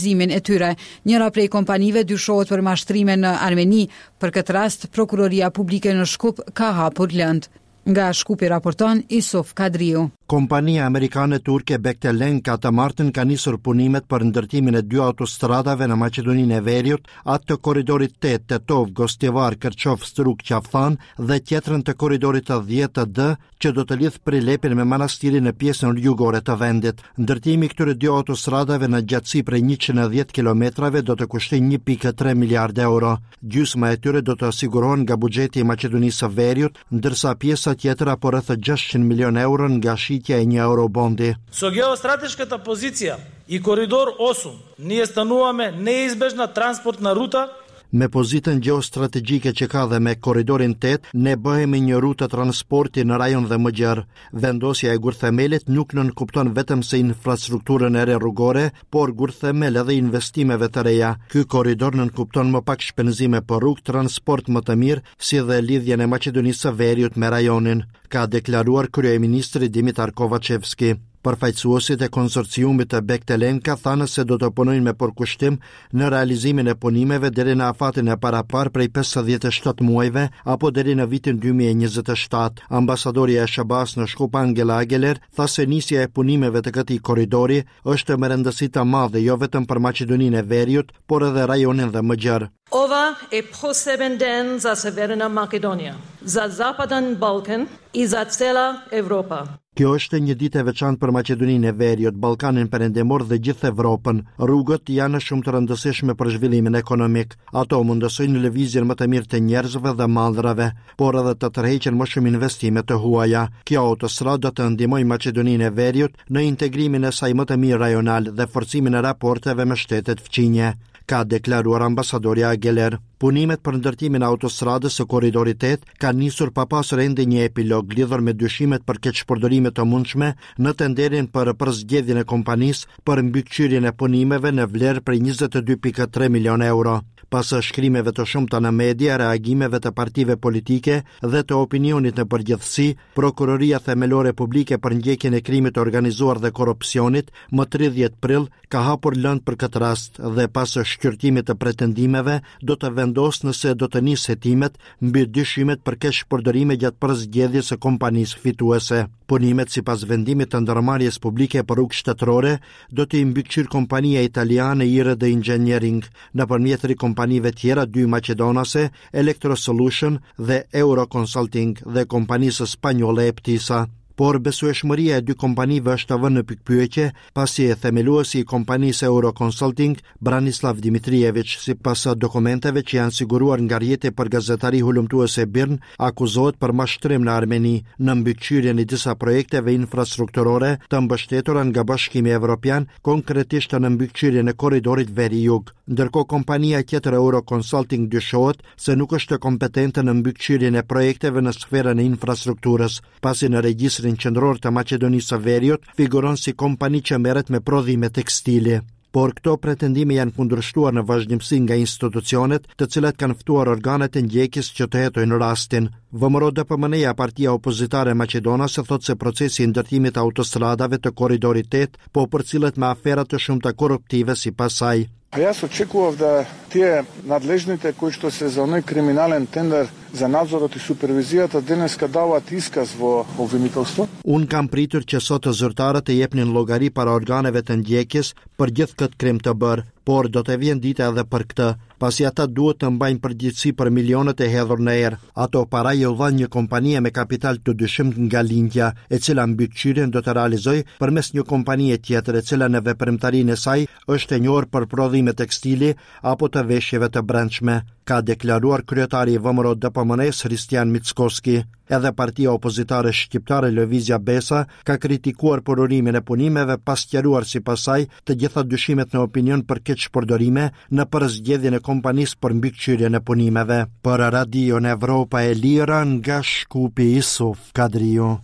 E tyre. Njëra prej kompanive dyshohet për mashtrime në Armeni. Për këtë rast, Prokuroria Publike në Shkup ka hapur lëndë. Nga Shkupi raporton Isuf Kadriu. Kompania amerikane turke Bechtel-Enka të martën ka nisur punimet për ndërtimin e dy autostradave në Maqedoninë e Veriut, atë të korridorit 8 Tetovë, Gostivar, Kërçovë, Strugë, Qafë-Thanë dhe tjetrën të korridorit të 10 D që do të lidhë Prilepin me Manastirin në pjesën jugore të vendit. Ndërtimi i këtyre dy autostradave në gjatësi prej 110 kilometrave do të kushtojë 1.3 miliardë euro. Gjysma e tyre do të sigurohen nga buxheti i Maqedonisë së Veriut, ndërsa pjesa tjetër apo rreth 600 milionë euro nga shitja e një eurobondi. Со геостратешката позиција и коридор 8 ние стануваме неизбежна транспортна рута Me pozitën gjeostrategjike që ka dhe me Korridorin 8, ne bëhemi një rutë transporti në rajon dhe më gjerë. Vendosja e gurthemelit nuk nënkupton vetëm se infrastrukturën e re rrugore, por gurthemel edhe investimeve të reja. Ky korridor nënkupton më pak shpenzime për rrugë, transport më të mirë, si dhe lidhjen e Maqedonisë së Veriut me rajonin, ka deklaruar kryeministri Dimitar Kovaçevski. Përfaqësuesit e konsorciumit të Bechtel-Enka thanë se do të punojnë me përkushtim në realizimin e punimeve deri në afatin e paraparë prej 57 muajve apo deri në vitin 2027. Ambasadorja e SHBA-së në Shkup Angela Ageler tha se nisja e punimeve të këtij korridori është me rëndësi të madhe jo vetëm për Maqedoninë e Veriut, por edhe rajonin dhe më gjerë. Ова е посебен ден за Северна Македонија, за Западен Балкан и за цела Европа. Kjo është një ditë e veçantë për Maqedoninë e Veriut, Ballkanin Perëndimor dhe gjithë Evropën. Rrugët janë shumë të rëndësishme për zhvillimin ekonomik. Ato mundësojnë lëvizjen më të mirë të njerëzve dhe mallrave, por edhe të tërheqin më shumë investime të huaja. Kjo autostradë do të ndihmojë Maqedoninë e Veriut në integrimin e saj më të mirë rajonal dhe forcimin e raporteve me shtetet fqinje. ka deklaruar ambasadorja Ageler. Punimet për ndërtimin e autostradës së Korridorit 8 kanë nisur pa pasur ende një epilog lidhur me dyshimet për keqpërdorime të mundshme në tenderin për përzgjedhjen e kompanisë për mbikëqyrjen e punimeve në vlerë prej 22.3 milionë euro. Pas shkrimeve të shumta në media, reagimeve të partive politike dhe të opinionit në përgjithësi, Prokuroria Themelore Publike për ndjekjen e krimit të organizuar dhe korrupsionit më 30 prill ka hapur lëndë për këtë rast dhe pas shqyrtimit të pretendimeve do të vendosë nëse do të nisë hetimet mbi dyshimet për keqpërdorime gjatë përzgjedhjes së kompanisë fituese. Punimet sipas vendimit të ndërmarrjes publike për rrugë shtetërore do t'i mbikëqyrë kompania italiane IRD Engineering nëpërmjet tri kompanive tjera dy maqedonase Electro Solution dhe Euro Consulting dhe kompanisë spanjolle Eptisa. Por besueshmëria e dy kompanive është vënë në pikëpyetje, pasi themeluesi i kompanisë Euro Consulting, Branislav Dimitrijević, sipas dokumenteve që janë siguruar nga rrjeti për gazetari hulumtuese BIRN, akuzohet për mashtrim në Armeni, në mbikëqyrjen e disa projekteve infrastrukturore të mbështetura nga Bashkimi Evropian, konkretisht në mbikëqyrjen e korridorit veri-jug. Ndërkohë kompania tjetër Euro Consulting dyshohet se nuk është kompetente në mbikëqyrjen e projekteve në sferën e infrastrukturës, pasi në regjistrin qendror të Maqedonisë së Veriut figuron si kompani që merret me prodhime tekstili. Por këto pretendime janë kundërshtuar në vazhdimësi nga institucionet, të cilat kanë ftuar organet e ndjekjes që të hetojnë rastin. VMRO DPMNE-ja, partia opozitare maqedonase, thotë se procesi i ndërtimit të autostradave të korridorit 8 po përcillet me afera të shumta korruptive sipas saj. А јас очекував да тие надлежните кои што се за оној криминален тендер за надзорот и супервизијата денеска даваат исказ во обвинителство. Unë kam pritur që sot zyrtarët të jepnin llogari para organeve të ndjekjes për gjithë këtë krim të bërë, por do të vjen dita edhe për këtë, pasi ata duhet të mbajnë përgjegjësi për milionët e hedhur në erë. Ato para iu dhanë një kompanie me kapital të dyshimtë nga lindja, e cila mbikëqyrjen do të realizojë përmes një kompanie tjetër, e cila në veprimtarinë e saj është e njohur për prodhime tekstili apo të veshjeve të brendshme, ka deklaruar kryetari i VMRO DPMNE-së Hristijan Mickoski. Edhe partia opozitare shqiptare Lëvizja Besa ka kritikuar përurimin e punimeve pa sqaruar sipas saj të gjitha dyshimet në opinion për keqpërdorime në përzgjedhjen e kompanisë për mbikëqyrjen e punimeve. Për Radion Evropa e Lirë nga Shkupi Isuf Kadriu.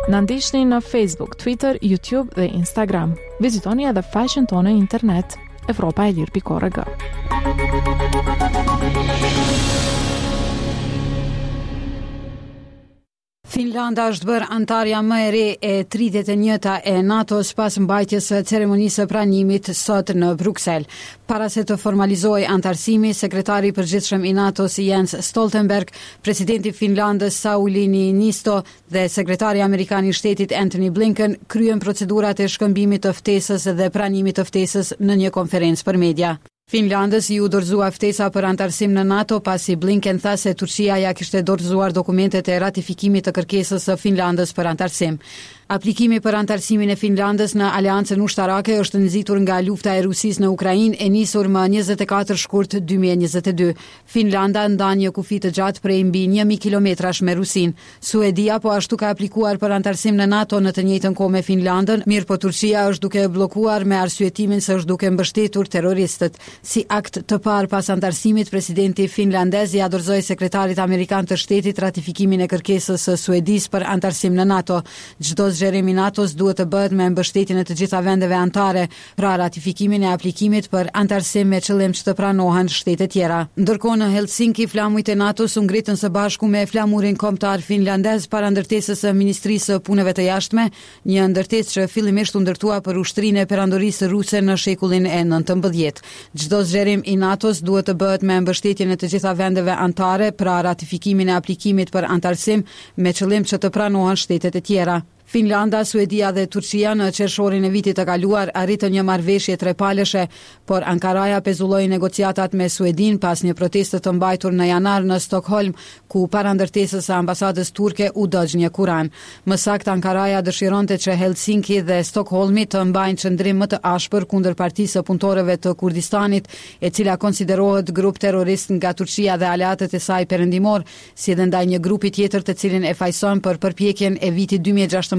Na ndiqni në Facebook, Twitter, YouTube dhe Instagram. Vizitoni edhe faqen tonë në internet evropaelire.org. Finlanda është bërë anëtarja më e re e 31-ta e NATO-s pas mbajtjes së ceremonisë së pranimit sot në Bruksel. Para se të formalizohej anëtarësimi, sekretari i përgjithshëm i NATO-s Jens Stoltenberg, presidenti i Finlandës Sauli Niinisto dhe sekretari amerikan i shtetit Antony Blinken kryen procedurat e shkëmbimit të ftesës dhe pranimit të ftesës në një konferencë për media. Finlandës iu dorëzua ftesa për anëtarësim në NATO pasi Blinken tha se Turqia ia kishte dorëzuar dokumentet e ratifikimit të kërkesës së Finlandës për anëtarësim. Aplikimi për anëtarësimin e Finlandës në aleancën ushtarake është nxitur nga lufta e Rusisë në Ukrainë e nisur më 24 shkurt 2022. Finlanda ndan një kufi të gjatë prej mbi 1000 kilometrash me Rusinë. Suedia po ashtu ka aplikuar për anëtarësim në NATO në të njëjtën kohë me Finlandën, mirëpo Turqia është duke e bllokuar me arsyetimin se është duke mbështetur terroristët. Si akt të parë pas anëtarësimit, presidenti finlandez ia dorëzoi sekretarit amerikan të shtetit ratifikimin e kërkesës së Suedisë për anëtarësim në NATO. Çdo zgjerim i NATO-s duhet të bëhet me mbështetjen e të gjitha vendeve anëtare, pra ratifikimin e aplikimit për anëtarësim me qëllim që të pranohen shtete tjera. Ndërkohë në Helsinki, flamujt e NATO-s u ngritën së bashku me flamurin kombëtar finlandez para ndërtesës së Ministrisë së Punëve të Jashtme, një ndërtesë që fillimisht u ndërtua për ushtrinë e Perandorisë Ruse në shekullin e 19. Çdo zgjerim i NATO-s duhet të bëhet me mbështetjen e të gjitha vendeve anëtare, pra ratifikimin e aplikimit për anëtarësim me qëllim që të pranohen shtetet e tjera. Finlanda, Suedia dhe Turqia në qershorin e vitit të kaluar arritën një marrëveshje trepalëshe, por Ankaraja pezulloi negociatat me Suedinë pas një proteste të mbajtur në janar në Stokholm, ku para ndërtesës së ambasadës turke u dogj një Kuran. Më saktë, Ankaraja dëshironte që Helsinki dhe Stokholmi të mbajnë qëndrim më të ashpër kundër Partisë së Punëtorëve të Kurdistanit, e cila konsiderohet grup terrorist nga Turqia dhe aleatët e saj perëndimorë, si dhe ndaj një grupi tjetër të cilin e fajëson për përpjekjen e vitit 2016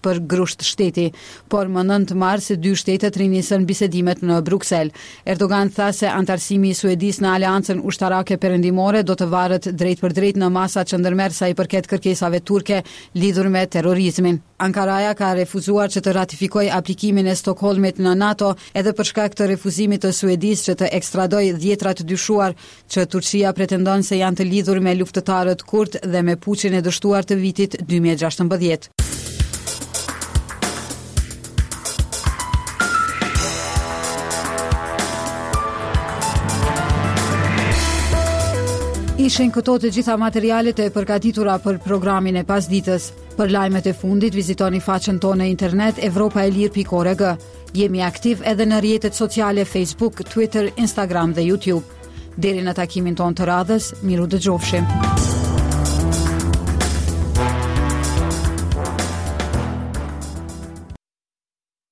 për grusht shteti. Por më 9 mars, dy shtetet rinisën bisedimet në Bruksel. Erdogan tha se anëtarësimi i Suedisë në Aleancën Ushtarake Perëndimore do të varet drejtpërdrejt në masat që ndërmerr sa i përket kërkesave turke lidhur me terrorizmin. Ankaraja ka refuzuar që të ratifikojë aplikimin e Stokholmit në NATO edhe për shkak të refuzimit të Suedisë që të ekstradojë dhjetra të dyshuar që Turqia pretendon se janë të lidhur me luftëtarët kurdë dhe me puçin e dështuar të vitit 2016. Ishin këto të gjitha materialet e përgatitura për programin e pasditës. Për lajmet e fundit vizitoni faqen tonë në internet evropaelire.org. Jemi aktiv edhe në rrjetet sociale Facebook, Twitter, Instagram dhe YouTube. Deri në takimin tonë të radhës, mirudëgjofshim.